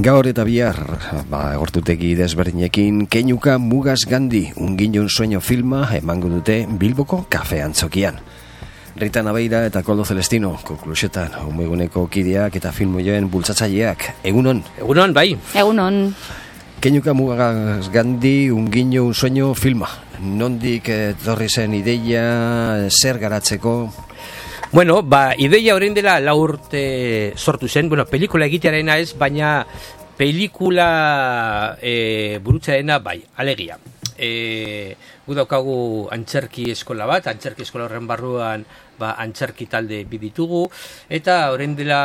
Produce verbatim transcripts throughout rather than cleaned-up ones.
Gaur eta bihar, ba, gortutegi desberdinekin, Keinuka Mugaz Gandhi, Ungin un sueño filma emango dute Bilboko kafe antzokian. Rita Nabeira eta Koldo Celestino, konklusetan, umeguneko kideak eta filmoioen bultzatzaileak. Egunon? Egunon, bai. Egunon. Keinuka Mugaz Gandhi, Ungin un sueño filma. Nondik etorri zen ideia, zer garatzeko? Bueno, ba, ideia orain dela lau urte sortu zen, bueno, pelikula egitearena ez, baina pelikula e, burutzaena bai, alegia. E, gu daukagu antzerki eskola bat, antzerki eskola horren barruan ba, antzerki talde biditugu, eta orain dela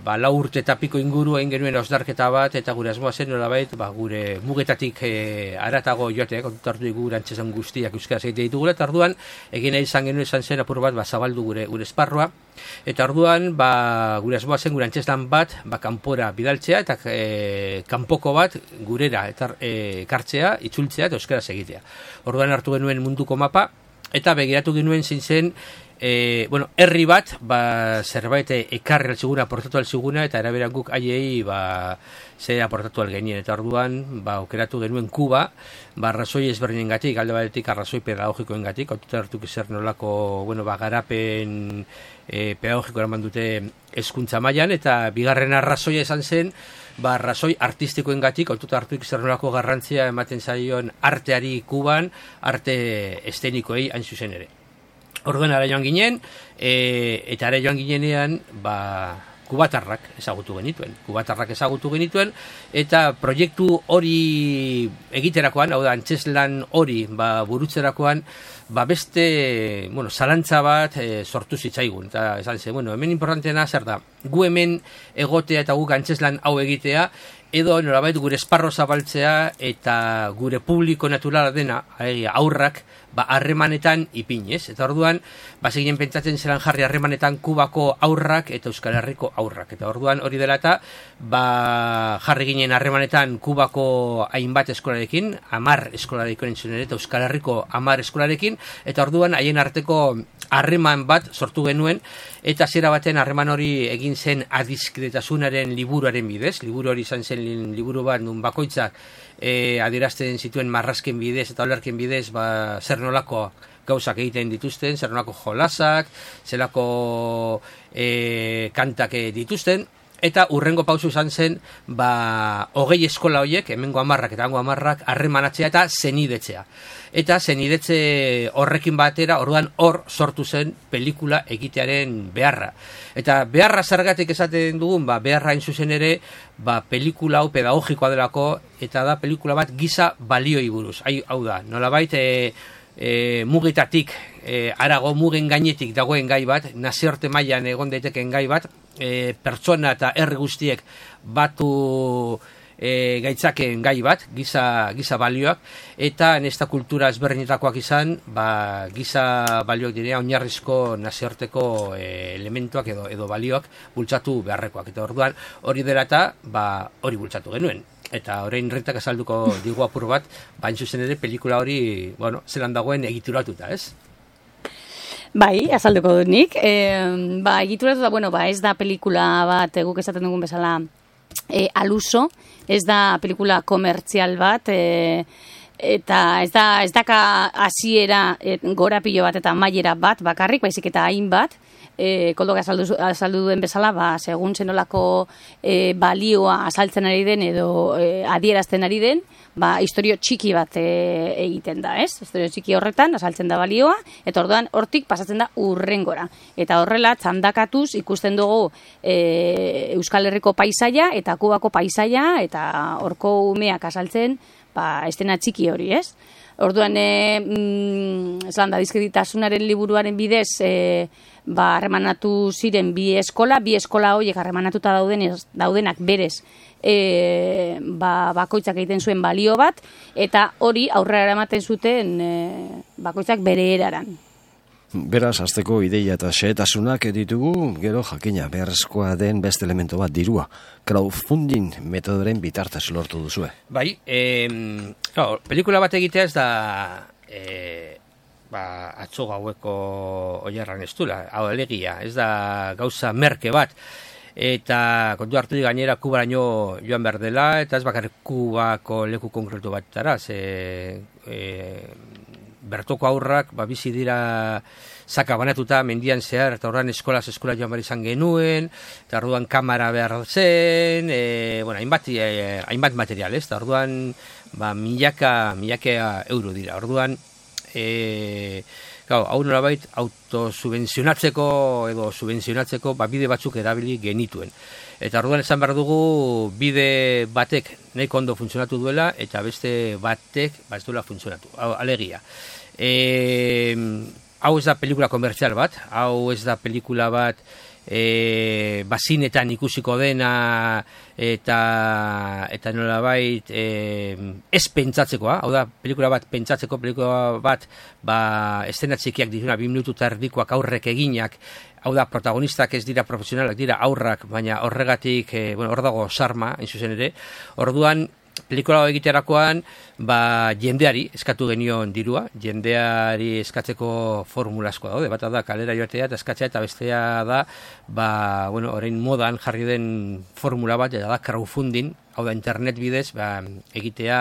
ba, lau urte eta piko inguru egin genuen osdarketa bat, eta gure asmoa zen nolabait, ba, gure mugetatik e, aratago joateak, kontutartu dugu gure antzezan guztiak euskaraz egite ditugula, eta orduan egin nahi izan genuen izan zen apur bat ba, zabaldu gure, gure esparroa, eta orduan ba, gure asmoa zen gure antzezan bat ba, kanpora bidaltzea, eta e, kanpoko bat gurera eta e, kartzea, itzultzea eta euskaraz egitea. Orduan hartu genuen munduko mapa, eta begiratu genuen zin zen, E, bueno, herri bat, ba, zerbait ekarri altziguna, aportatu altziguna, eta eraberan guk aiei, ba, zer aportatu algenien, eta orduan, ba, okeratu genuen Kuba, ba, arrazoi ezberdinen gatik, alde batetik arrazoi pedagogikoen gatik, aututa hartuk zer nolako, bueno, ba, garapen e, pedagogiko eraman dute hezkuntza mailan, eta bigarren arrazoia esan zen, ba, arrazoi artistikoen gatik, aututa hartuk zer nolako garrantzia ematen zaion arteari Kuban, arte estenikoei hain zuzen ere. Orduan ara joan ginen, e, eta ara joan ginenean, ba, kubatarrak ezagutu genituen. Kubatarrak ezagutu genituen, eta proiektu hori egiterakoan, hau da, antzeslan hori ba, burutzerakoan, ba, beste, bueno, zalantza bat e, sortu zitzaigun. Eta esan zen, bueno, hemen importanteena zer da, gu hemen egotea eta guk antzeslan hau egitea, edo nolabait gure esparro zabaltzea eta gure publiko naturala dena, aurrak, ba, harremanetan ipinez. Eta orduan, ba, seginen pentsatzen zelan jarri harremanetan Kubako aurrak eta Euskal Herriko aurrak. Eta orduan hori dela eta, ba, jarri ginen harremanetan Kubako hainbat eskolarekin, amar eskolarekin entzun ere, eta Euskal Herriko amar eskolarekin, eta orduan haien arteko harreman bat sortu genuen, eta zera baten harreman hori egin zen adiskidetasunaren liburuaren bidez. Liburu hori izan zen liburu bat nun bakoitzak e, adierazten zituen marrazken bidez eta olerken bidez ba, zer nolako gauzak egiten dituzten, zer nolako jolasak, zelako e, kantak dituzten. Eta urrengo pausu izan zen, ba, hogei eskola horiek, hemengo amarrak eta hango amarrak, harremanatzea eta zenidetzea. Eta zenidetze horrekin batera, orduan hor sortu zen pelikula egitearen beharra. Eta beharra zergatik esaten dugun, ba, beharra hain zuzen ere, ba, pelikula hau pedagogikoa delako, eta da pelikula bat giza balioi buruz. Hau da, nolabait, e, e, mugitatik, e, arago mugen gainetik dagoen gai bat, nazioarte mailan egon daiteken gai bat, E, pertsona eta herri guztiek batu e, gaitzaken gai bat, giza, giza balioak, eta nesta kultura ezberdinetakoak izan, ba, giza balioak direa oinarrizko nazioarteko e, elementuak edo, edo balioak bultzatu beharrekoak. Eta orduan hori dela eta ba, hori bultzatu genuen. Eta orain Ritak azalduko digu apur bat, bain zuzen ere pelikula hori, bueno, zelan dagoen egituratuta, ez? Bai, azalduko dut nik. E, ba, egituratu da, bueno, ba, ez da pelikula bat, guk esaten dugun bezala, e, aluso, ez da pelikula komertzial bat, e, eta ez da, ez daka hasiera e, gorapilo bat eta mailera bat bakarrik, baizik eta hainbat, e, Koldok azaldu, azaldu duen bezala, ba, segun zenolako e, balioa azaltzen ari den edo e, adierazten ari den, ba, historio txiki bat e, egiten da, ez? Historio txiki horretan, azaltzen da balioa, eta orduan hortik pasatzen da urrengora. Eta horrela, txandakatuz ikusten dugu e, Euskal Herriko paisaia eta Kubako paisaia, eta horko umeak azaltzen, ba, estena txiki hori, ez? Orduan, e, mm, esan da, dizkiditasunaren liburuaren bidez, e, ba, harremanatu ziren bi eskola, bi eskola horiek harremanatuta dauden, daudenak berez, e, ba, bakoitzak egiten zuen balio bat, eta hori aurrera eramaten zuten e, bakoitzak bere eraran. Beraz, hasteko ideia eta xehetasunak ditugu, gero jakina, beharrezkoa den beste elemento bat dirua. Crowdfunding metodoren bitartez lortu duzue. Bai, eh, claro, pelikula bat egitea ez da eh, ba, atzo gaueko oiarran ez dula, hau alegia, ez da gauza merke bat. eta kontu hartu di gainera Kubaraino joan behar dela, eta ez bakarrik Kubako leku konkretu batara, ze e, bertoko aurrak ba, bizi dira sakabanatuta mendian zehar, eta horren eskolaz eskola joan behar izan genuen, eta orduan kamara behar zen, e, bueno, hainbat, e, hainbat material, ez, eta orduan ba, milaka, milaka euro dira, orduan e, Gau, hau nolabait autosubvenzionatzeko edo subvenzionatzeko ba, bide batzuk erabili genituen. Eta orduan esan behar dugu bide batek nahiko ondo funtzionatu duela eta beste batek ba, ez duela funtzionatu. Hau, alegia. E, hau ez da pelikula komertzial bat, hau ez da pelikula bat e, bazinetan ikusiko dena eta eta nolabait e, ez pentsatzekoa, hau da pelikula bat pentsatzeko, pelikula bat ba, estena txikiak dituna, bi minutu eta erdikoak aurrek eginak, hau da protagonistak ez dira profesionalak, dira aurrak, baina horregatik, e, bueno, hor dago sarma, hain zuzen ere, orduan pelikula egiterakoan ba, jendeari eskatu genion dirua, jendeari eskatzeko formula asko daude, bata da kalera joatea eta eskatzea, eta bestea da ba, bueno, orain modan jarri den formula bat, eta da crowdfunding, hau da internet bidez ba, egitea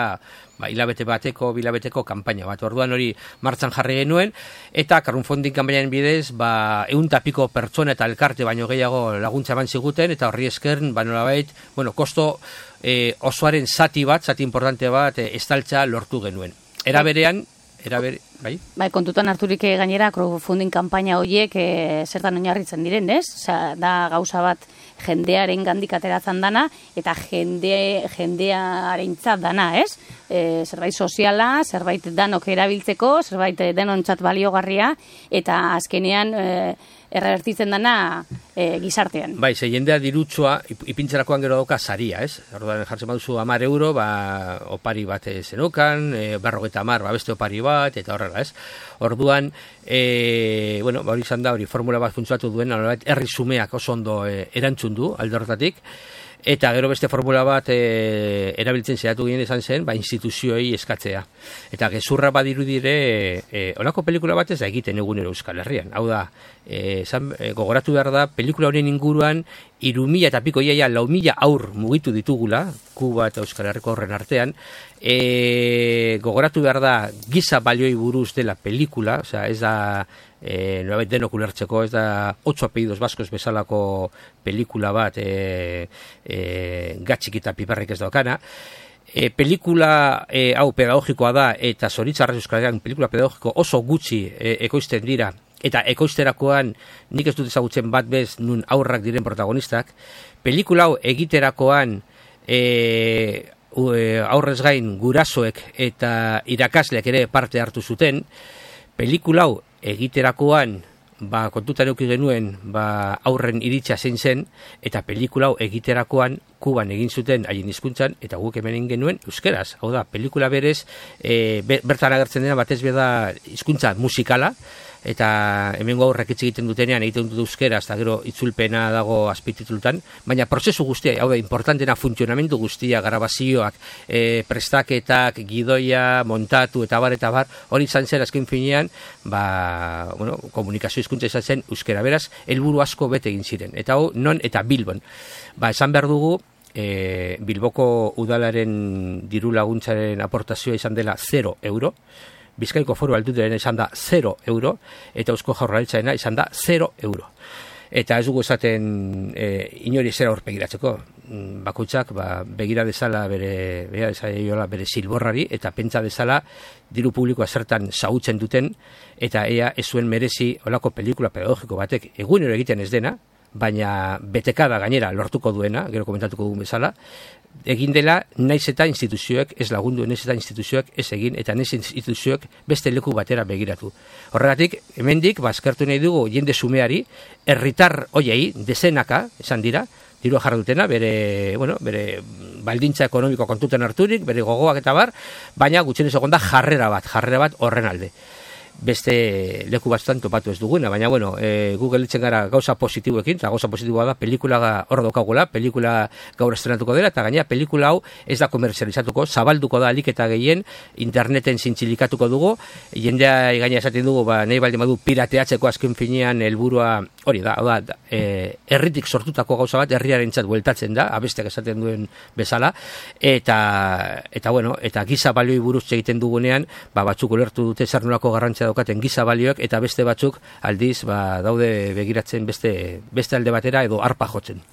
ba, hilabete bateko, bilabeteko kanpaina bat. Orduan hori martxan jarri genuen, eta crowdfunding kanpainaren bidez ba, ehun eta piko pertsona eta elkarte baino gehiago laguntza eman ziguten, eta horri eskern ba, nolabait, bueno, kosto E, osoaren zati bat, zati importante bat, e, estaltza lortu genuen. Era berean, era bere, bai? Bai, kontutan harturik gainera crowdfunding kanpaina horiek e, zertan oinarritzen diren, ez? Osea, da gauza bat jendearen gandik ateratzen dana, eta jende, jendearentzat dana, ez? E, zerbait soziala, zerbait danok erabiltzeko, zerbait denontzat baliogarria, eta azkenean e, errebertitzen dana e, gizartean. Bai, ze jendea dirutsoa ipintzerakoan gero dauka saria, ez? Orduan jartzen baduzu hamar euro, ba, opari bat zenokan, e, berrogeta hamar, ba, beste opari bat, eta horrela, ez? Orduan, e, bueno, ba, hori izan da, hori formula bat funtzionatu duen, herri zumeak oso ondo e, erantzun du, alde horretatik, eta gero beste formula bat e, erabiltzen zehatu ginen izan zen, ba, instituzioei eskatzea. Eta gezurra badiru dire, e, olako pelikula bat ez da egiten egunero Euskal Herrian. Hau da, e, zan, e, gogoratu behar da, pelikula horien inguruan, iru mila eta piko iaia lau mila aur mugitu ditugula, Kuba eta Euskal Herriko horren artean, e, gogoratu behar da, giza balioi buruz dela pelikula, osea, ez da, E, nolabait denok ulertzeko, ez da ocho apellidos baskos bezalako pelikula bat e, e, gatxik eta piperrik ez daukana. E, pelikula e, hau pedagogikoa da, eta zoritzarrez Euskal Herrian pelikula pedagogiko oso gutxi e, ekoizten dira, eta ekoizterakoan nik ez dut ezagutzen bat bez nun aurrak diren protagonistak. Pelikula hau egiterakoan e, aurrez gain gurasoek eta irakasleak ere parte hartu zuten. Pelikula hau egiterakoan ba, kontutan eduki genuen ba, aurren iritsa zein zen, eta pelikula hau egiterakoan Kuban egin zuten haien hizkuntzan, eta guk hemen egin genuen euskeraz. Hau da, pelikula berez, e, bertan agertzen dena batez beda hizkuntza musikala, eta hemengo aurrek hitz egiten dutenean egiten dut euskeraz, eta gero itzulpena dago azpititulutan, baina prozesu guztia, hau da, importantena funtzionamendu guztia, grabazioak, e, prestaketak, gidoia, montatu, eta bar, eta bar, hori izan zen azken finean, ba, bueno, komunikazio hizkuntza izan zen euskera, beraz, helburu asko bete egin ziren, eta hau, non eta Bilbon. Ba, esan behar dugu, e, Bilboko udalaren diru laguntzaren aportazioa izan dela zero euro, Bizkaiko Foru Aldundiaren izan da zero euro, eta Eusko Jaurlaritzarena izan da zero euro. Eta ez dugu esaten e, inori zera horpegiratzeko. Bakoitzak ba, begira dezala bere, begira dezala bere silborrari, eta pentsa dezala diru publikoa zertan zautzen duten, eta ea ez zuen merezi olako pelikula pedagogiko batek egunero egiten ez dena, baina betekada gainera lortuko duena, gero komentatuko dugun bezala, egin dela naiz eta instituzioek ez lagundu, naiz eta instituzioek ez egin, eta naiz instituzioek beste leku batera begiratu. Horregatik, hemendik, bazkertu nahi dugu jende sumeari, herritar hoiei, dezenaka, esan dira, dirua jarra dutena, bere, bueno, bere baldintza ekonomiko kontutan harturik, bere gogoak eta bar, baina gutxienez egon da jarrera bat, jarrera bat horren alde. Beste leku batzutan topatu ez duguna, baina bueno, e, Google itzen gara gauza positiboekin, eta gauza positiboa da pelikula hor daukagula, pelikula gaur estrenatuko dela, eta gainera pelikula hau ez da komerzializatuko, zabalduko da alik eta gehien, interneten zintzilikatuko dugu, jendea gaina esaten dugu, ba, nahi baldin badu pirateatzeko azken finean helburua hori da, da, da e, herritik sortutako gauza bat herriarentzat bueltatzen da, abesteak esaten duen bezala, eta eta bueno, eta giza balioi buruz egiten dugunean, ba batzuk ulertu dute zer nolako garrantzia daukaten giza balioek, eta beste batzuk aldiz ba daude begiratzen beste beste alde batera edo arpa jotzen.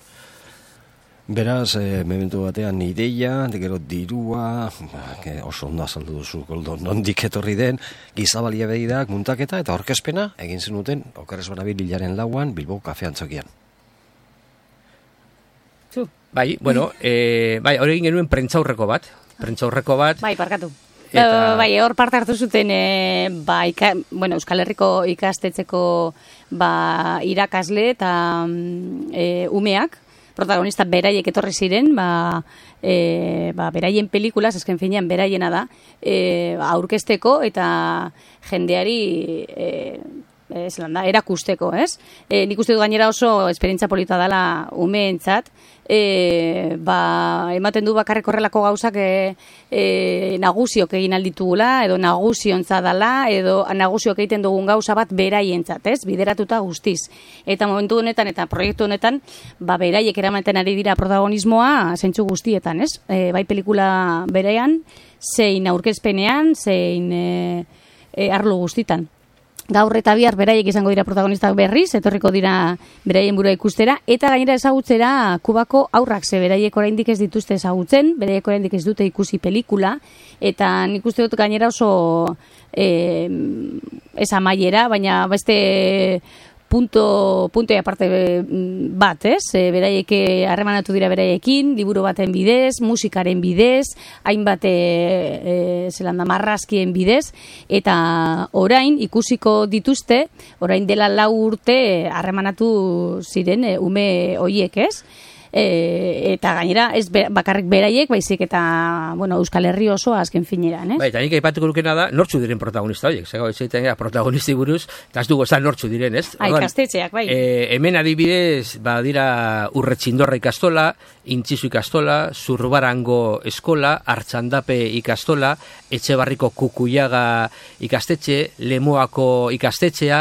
Beraz, e, momentu batean ideia, gero dirua, ba, oso ondo azaldu duzu, Koldo, nondik etorri den, gizabalia behidak, muntaketa eta orkezpena egin zenuten, okerrez banabil hilaren lauan, Bilbo Kafe Antzokian. Zu. Bai, bueno, e, bai, hori egin genuen prentzaurreko bat, prentzaurreko bat. Bai, parkatu. Eta... Bai, hor parte hartu zuten, e, ba, ika, bueno, Euskal Herriko ikastetxeko ba, irakasle eta e, umeak, protagonista beraiek etorri ziren, ba, e, ba, beraien pelikulas, esken finean beraiena da, e, aurkezteko eta jendeari e, e, zelanda, erakusteko, ez? E, nik uste dut gainera oso esperientzia polita dela umeentzat, e, ba, ematen du bakarrik horrelako gauzak e, e, nagusiok egin alditugula, edo naguziontza dela, edo nagusiok egiten dugun gauza bat beraientzat, ez? Bideratuta guztiz. Eta momentu honetan eta proiektu honetan, ba, beraiek eramaten ari dira protagonismoa zentzu guztietan, ez? E, bai pelikula berean, zein aurkezpenean, zein e, e, arlo guztitan. Gaur eta bihar beraiek izango dira protagonistak berriz, etorriko dira beraien burua ikustera, eta gainera ezagutzera Kubako aurrak, ze beraiek oraindik ez dituzte ezagutzen, beraiek oraindik ez dute ikusi pelikula, eta nik uste dut gainera oso eh, ez amaiera, baina beste punto, punto aparte bat, ez? E, beraiek harremanatu dira beraiekin, liburu baten bidez, musikaren bidez, hainbat e, e, zelanda marrazkien bidez, eta orain ikusiko dituzte, orain dela lau urte harremanatu ziren e, ume hoiek, ez? E, eta gainera ez be, bakarrik beraiek, baizik eta bueno, Euskal Herri osoa azken fineran, eh? Bai, eta nik aipatuko lukena da, nortzu diren protagonista horiek, zego, ez egiten protagonisti buruz, eta ez dugu esan nortzu diren, ez? Ai, kastetxeak, bai. E, hemen adibidez, ba, dira Urretxindorra ikastola, Intzizu ikastola, Zurbarango eskola, Artxandape ikastola, Etxebarriko Kukuiaga ikastetxe, Lemoako ikastetxea,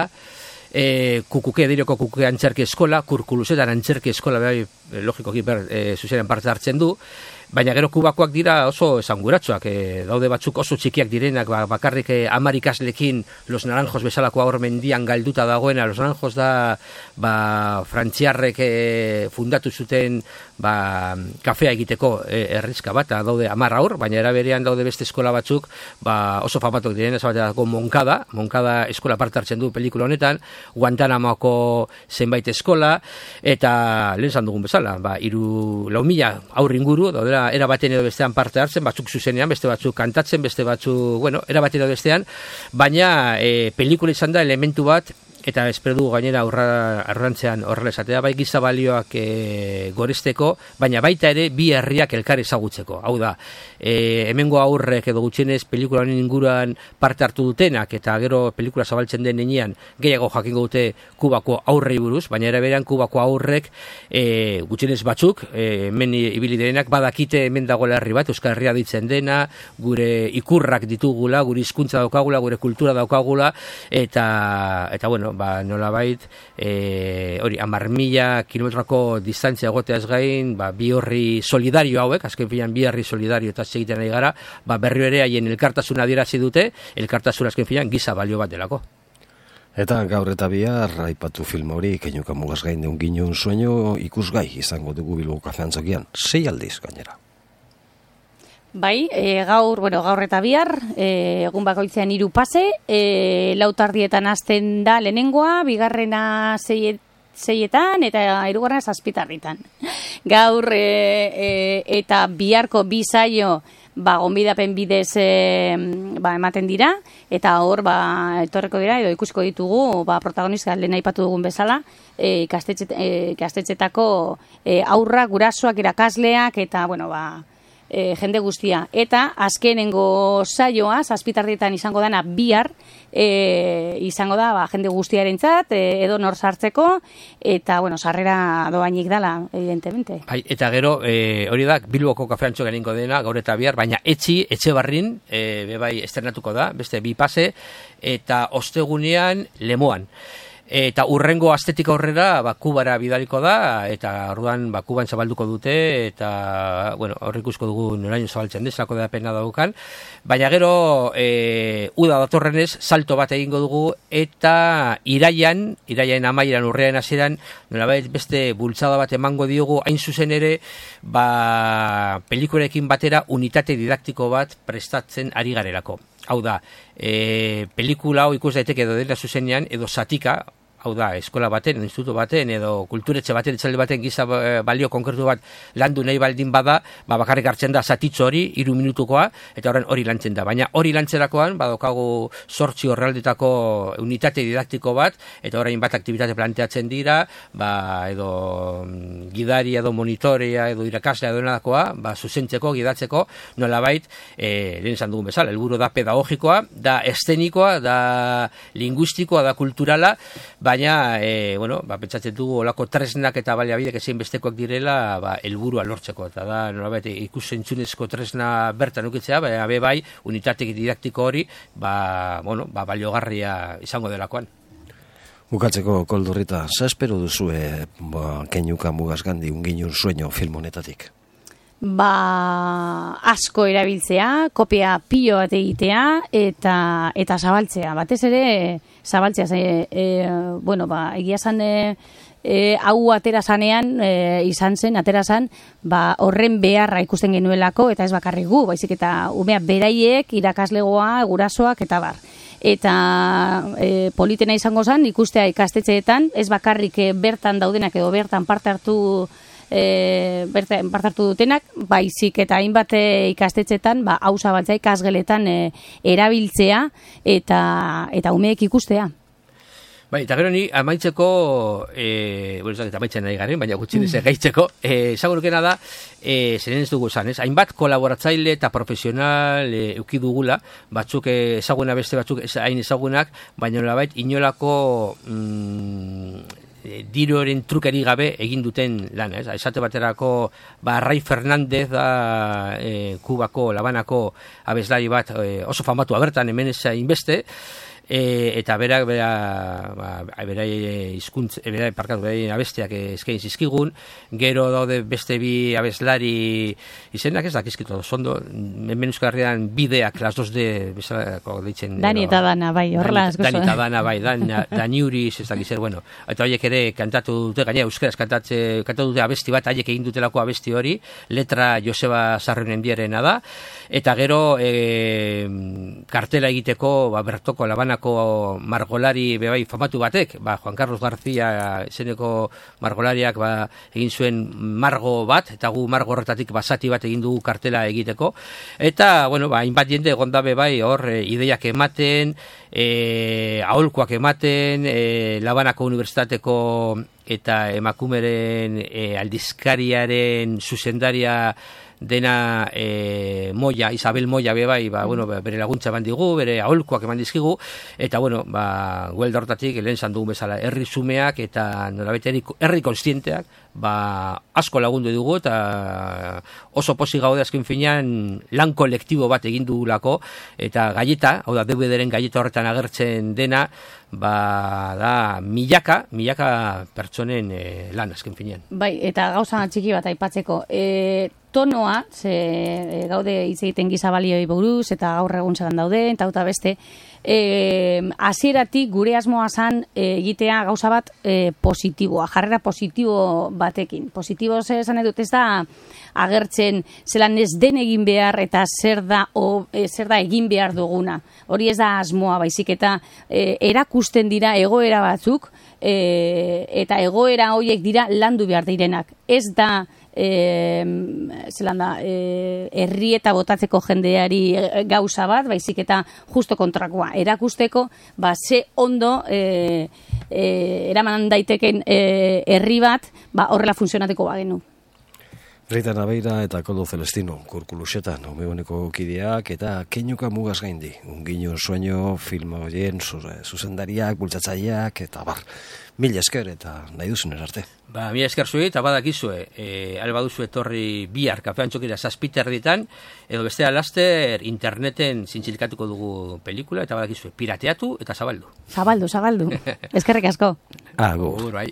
E, kukuke, direko kukuke antzerki eskola, Kurkuluzetan antzerki eskola, bai, logikoki ber, e, zuzenen parte hartzen du, baina gero Kubakoak dira oso esanguratsuak, e, daude batzuk oso txikiak direnak, ba, bakarrik e, hamar ikaslekin Los Naranjos bezalako aur mendian galduta dagoena. Los Naranjos da ba, frantziarrek e, fundatu zuten ba, kafea egiteko e, errizka bat, daude hamar aur, baina eraberean daude beste eskola batzuk ba, oso famatok diren, ez bateko Moncada, Moncada eskola parte hartzen du pelikula honetan, Guantanamoko zenbait eskola, eta lehen zan dugun bezala, ba, iru lau mila aur inguru, daudera era baten edo bestean parte hartzen, batzuk zuzenean, beste batzuk kantatzen, beste batzuk, bueno, era baten edo bestean, baina e, pelikula izan da elementu bat, eta espero dugu gainera aurrantzean horrela esatea, bai giza balioak e, goresteko, baina baita ere bi herriak elkar ezagutzeko. Hau da, e, hemengo aurrek edo gutxienez pelikula honen inguruan parte hartu dutenak, eta gero pelikula zabaltzen den nenean gehiago jakingo dute Kubako aurrei buruz, baina ere berean Kubako aurrek e, gutxienez batzuk, e, hemen ibili direnak, badakite hemen dagoela herri bat, Euskal Herria ditzen dena, gure ikurrak ditugula, gure hizkuntza daukagula, gure kultura daukagula, eta, eta bueno, ba, nolabait, e, hori, amar mila kilometroko distantzia egoteaz gain, ba, bi horri solidario hauek, azken filan bi horri solidario eta segiten nahi gara, ba, berrio ere haien elkartasuna adierazi dute, elkartasuna azken filan giza balio bat delako. Eta gaur eta bihar, aipatu film hori, Keinuka mugaz gain deun ginen sueño ikusgai izango dugu Bilbo Kafe Antzokian, sei aldiz gainera. Bai, e, gaur, bueno, gaur eta bihar, e, egun bakoitzean hiru pase, e, lautardietan hasten da lehenengoa, bigarrena zeiet, zeietan eta hirugarrena zazpitarritan. Gaur e, e, eta biharko bi saio ba, gonbidapen bidez e, ba, ematen dira, eta hor ba, etorreko dira, edo ikusiko ditugu ba, protagonista lehen aipatu dugun bezala, e, ikastetxe, e, ikastetxetako e, aurrak, gurasoak, irakasleak, eta, bueno, ba, E, jende guztia. Eta azkenengo saioa, zazpitardietan izango dana bihar, e, izango da ba, jende guztiarentzat, e, edo nor sartzeko, eta, bueno, sarrera doainik dala, evidentemente. Bai, eta gero, e, hori da, Bilboko Kafe Antzokian egingo dena, gaur eta bihar, baina etxi, Etxebarrin, e, bebai estrenatuko da, beste bi pase, eta ostegunean Lemoan. eta urrengo astetik aurrera ba, Kubara bidaliko da, eta orduan ba, Kuban zabalduko dute, eta bueno, hor ikusko dugu noraino zabaltzen deslako da pena daukan, baina gero e, uda datorrenez salto bat egingo dugu, eta iraian, iraian amaieran urrean hasieran, nolabait beste bultzada bat emango diogu, hain zuzen ere, ba, pelikulekin batera unitate didaktiko bat prestatzen ari garelako. Hau da, e, pelikula hau ikus daiteke edo dela zuzenean, edo zatika, hau da, eskola baten, instituto baten, edo kulturetxe baten, etxalde baten giza balio konkretu bat landu nahi baldin bada, ba, bakarrik hartzen da zatitxo hori, hiru minutukoa, eta horren hori lantzen da. Baina hori lantzerakoan, badokagu sortzi horrealdetako unitate didaktiko bat, eta orain bat aktibitate planteatzen dira, ba, edo gidari, edo monitorea, edo irakaslea, edo nadakoa, ba, zuzentzeko, gidatzeko, nolabait, e, lehen esan dugun bezala, helburu da pedagogikoa, da eszenikoa, da linguistikoa, da kulturala, baina, e, bueno, ba, pentsatzen dugu olako tresnak eta baliabidek ezin bestekoak direla, ba, helburua lortzeko, eta da, nolabait, ikusentzunezko tresna bertan ukitzea, baina be bai, unitatek didaktiko hori, ba, bueno, ba, baliogarria izango delakoan. Bukatzeko, Koldurrita, za espero duzue ba, Keñuka Mugaz Gandhi Ungin un sueño film honetatik? Ba, asko erabiltzea, kopia pilo bat egitea, eta, eta zabaltzea. Batez ere, zabaltzea. E, e, bueno, ba, egia zan, e, e, hau atera zanean, e, izan zen, atera zan, ba, horren beharra ikusten genuelako, eta ez bakarrik gu, baizik eta umea beraiek, irakaslegoa, gurasoak, eta bar. Eta e, politena izango zen, ikustea ikastetxeetan, ez bakarrik e, bertan daudenak edo bertan parte hartu E, bertan parte hartu dutenak, baizik eta hainbat ikastetxetan, ba, hau zabaltzea ikasgeletan e, erabiltzea eta eta umeek ikustea. Bai, eta gero ni amaitzeko, e, bueno, ez da amaitzen nahi garen, baina gutxinez mm. gaitzeko, esagurukena da, e, zeren ez dugu esan, ez? Hainbat kolaboratzaile eta profesional e, euki dugula, batzuk ezaguna beste batzuk hain ezagunak, baina nolabait inolako mm, diroren trukeri gabe egin duten lan, ez? Esate baterako, ba, Rai Fernandez da e, Kubako, Labanako abeslari bat e, oso famatu abertan hemen ez inbeste, E, eta berak bera, ba, bera izkuntz, bera parkatu, bera abesteak eskain zizkigun, gero daude beste bi abeslari izenak ez dakizkitu, zondo, hemen Euskal Herrian bideak, las dos de, bezalako deitzen. Dani eta Dana, bai, horrela asko. Dani eta Dana, bai, Dani Uriz, ez dakizer, bueno, eta horiek ere kantatu dute, gaina euskaraz kantatze, kantatu dute abesti bat, haiek egin dutelako abesti hori, letra Joseba Sarrionen diarena da, eta gero e, kartela egiteko, ba, Bertoko Labana margolari bebai famatu batek, ba, Juan Carlos García izeneko margolariak ba, egin zuen margo bat, eta gu margo horretatik basati bat egin dugu kartela egiteko, eta, bueno, ba, hainbat jende egonda bebai hor e, ideiak ematen, e, aholkoak ematen, e, Labanako Unibertsitateko eta emakumeren e, aldizkariaren zuzendaria dena e, Moya, Isabel Moya bebai, ba, bueno, bere laguntza eman digu, bere aholkoak eman dizkigu, eta bueno, ba, guelda hortatik, lehen zan dugun bezala, herri zumeak eta nolabait herri konstienteak, ba, asko lagundu dugu, eta oso posi gaude azken finean lan kolektibo bat egin dugulako, eta galleta, hau da, D V D-ren galleta horretan agertzen dena, ba, da, milaka, milaka pertsonen e, lan azken finean. Bai, eta gauza txiki bat aipatzeko, e, tonoa, ze e, gaude hitz egiten giza balioi buruz, eta gaur egun zelan daude, eta eta beste, e, hasieratik gure asmoa zan e, egitea gauza bat e, positiboa, jarrera positibo batekin. Positibo zer esan edut, ez da agertzen zelan ez den egin behar eta zer da, o, e, zer da egin behar duguna. Hori ez da asmoa, baizik eta e, erakusten dira egoera batzuk, e, eta egoera horiek dira landu behar direnak. Ez da E, zelan da, e, herri eta botatzeko jendeari gauza bat, baizik eta justo kontrakoa, erakusteko, ba, ze ondo e, e, eraman daiteken e, herri bat, ba, horrela funtzionateko bagenu. Rita Naveira eta Koldo Celestino, kurkulusetan, umegoneko kideak eta Keinuka mugaz gaindi. Ungino sueño, filma horien, zuzendariak, bultzatzaileak, eta bar. Mila esker eta nahi duzun erarte. Ba, mila esker zuei, eta badakizue, e, alba duzu etorri bihar kafean txokira zazpiter ditan, edo bestea laster interneten zintzilikatuko dugu pelikula, eta badakizue, pirateatu eta zabaldu. Zabaldu, zabaldu. Eskerrik asko. Agur. Agur, bai.